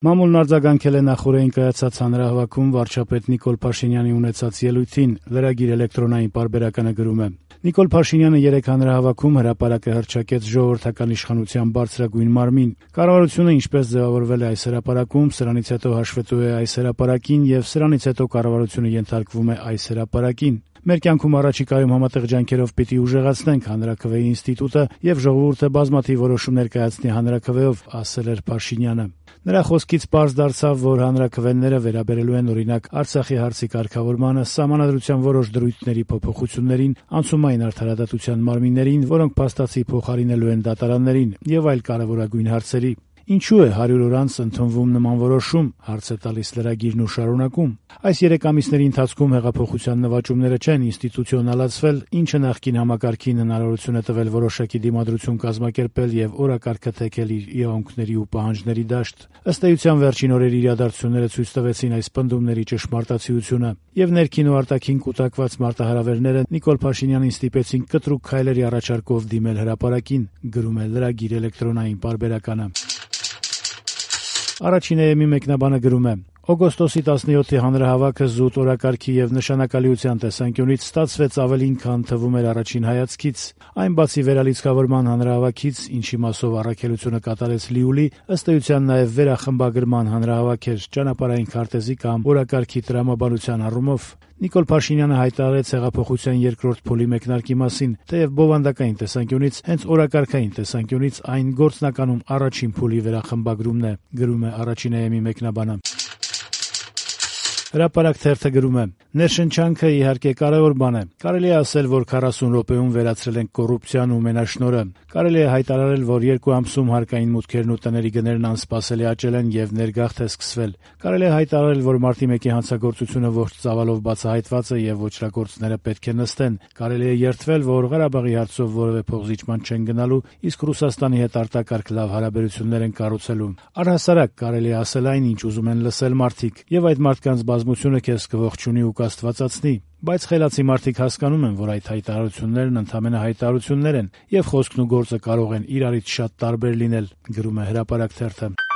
Մամուլն արձագանքել է նախօրեին կայացած հանրահավաքում վարչապետ Նիկոլ Փաշինյանի ունեցած ելույթին, լրագիր էլեկտրոնային պարբերականը գրում է. Նիկոլ Փաշինյանը երեկ հանրահավաքում հրապարակ է հռչակեց ժողովրդական իշխանության բարձրագույն մարմին։ Կառավարությունը ինչպես ձևավորվել է այս հրապարակում, սրանից հետո հաշվետու է այս հրապարակին եւ սրանից հետո կառավարությունը ենթարկվում է այս հրապարակին։ Մեր կյանքում առաջիկայում համատեղ ջանքերով պիտի ուժեղացնենք հանրաքվեի ինստիտուտը եւ ժողովուրդը բազմաթիվ որոշումներ կայացնի հանրաքվեով, ասել էր Փաշինյանը։ Նրա խոսքից պարզ դարձավ, որ հանրաքվեները վերաբերելու են օրինակ Արցախի հարցի կարգավորմանը, Սահմանադրության որոշ դրույթների փոփոխություններին, անցումային արդարադատության մարմիններին, որոնք փաստացի փոխարինելու են դատարաններին եւ այլ կարեւորագույն հարցերի։ Ինչու է 100 օր անց ընդունվում նման որոշում, հարց է տալիս լրագիրն ու շարունակում։ Այս 3 ամիսների ընթացքում հեղափոխության նվաճումները չեն ինստիտուցիոնալացվել, ինչը նախկին համակարգին հնարավորություն է տվել որոշակի դիմադրություն կազմակերպել եւ օրակարգը թեքել իր իրավունքների ու պահանջների դաշտ։ Ըստ էության վերջին օրերի իրադարձությունները ցույց տվեցին այս պնդումների ճշմարտացիությունը եւ ներքին ու արտաքին կուտակված մարտահրավերները Նիկոլ Փաշինյանին ստիպեցին կտրուկ քայլերի առաջարկով դիմել հրապարակին, գրում է լրագիր էլեկտրոնային պարբերականը։ Առաջին էմի մեկնաբանը գրում է. Օգոստոսի 17-ի հանրահավաքը զուտ օրակարգի եւ նշանակալիության տեսանկյունից ստացվեց ավելին, քան թվում էր առաջին հայացքից։ Այն բացի վերալիցքավորման հանրահավաքից, ինչի մասով առաքելությունը կատարեց Լիուլի, ըստ էության նաեւ վերախմբագրման հանրահավաք էր ճանապարհային քարտեզի կամ օրակարգի տրամաբանության առումով։ Նիկոլ Փաշինյանը հայտարարեց հեղափոխության երկրորդ փուլի մեկնարկի մասին, թեև բովանդակային տեսանկյունից, հենց օրակարգային տեսանկյունից այն գործնականում առաջին փուլի վերախմբագրումն է, գրում է առաջին էմի մեկնաբանը։ Հրապարակ թերթը գրում է. ներշնչանքը իհարկե կարևոր բան է։ Կարելի է ասել, որ 40 րոպեում վերացրել ենք կոռուպցիան ու մենաշնորհը։ Կարելի է հայտարարել, որ 2 ամսում հարկային մուտքերն ու տների գներն անսպասելի աճել են եւ ներգաղթ է սկսվել։ Կարելի է հայտարարել, որ մարտի 1-ի հանցագործությունը ողջ ծավալով բացահայտված է եւ ոչրագործները պետք է նստեն։ Կարելի է երդվել, որ Ղարաբաղի հարցով որևէ փոխզիջման չեն գնալու, իսկ Ռուսաստանի հետ արտակարգ լավ հարաբերություններ են կառուցելու։ Առհասարակ կարելի է ասել այն, ինչ ուզում են լսել մարդիկ, եւ այդ մարդկանց բազմությունը քեզ կողջունի ու կաստվածացնի, բայց խելացի մարդիկ հասկանում են, որ այդ հայտարարություններն ընդամենը հայտարարություններ են եւ խոսքն ու գործը կարող են իրարից շատ տարբեր լինել, գրում է հրապարակ թերթը։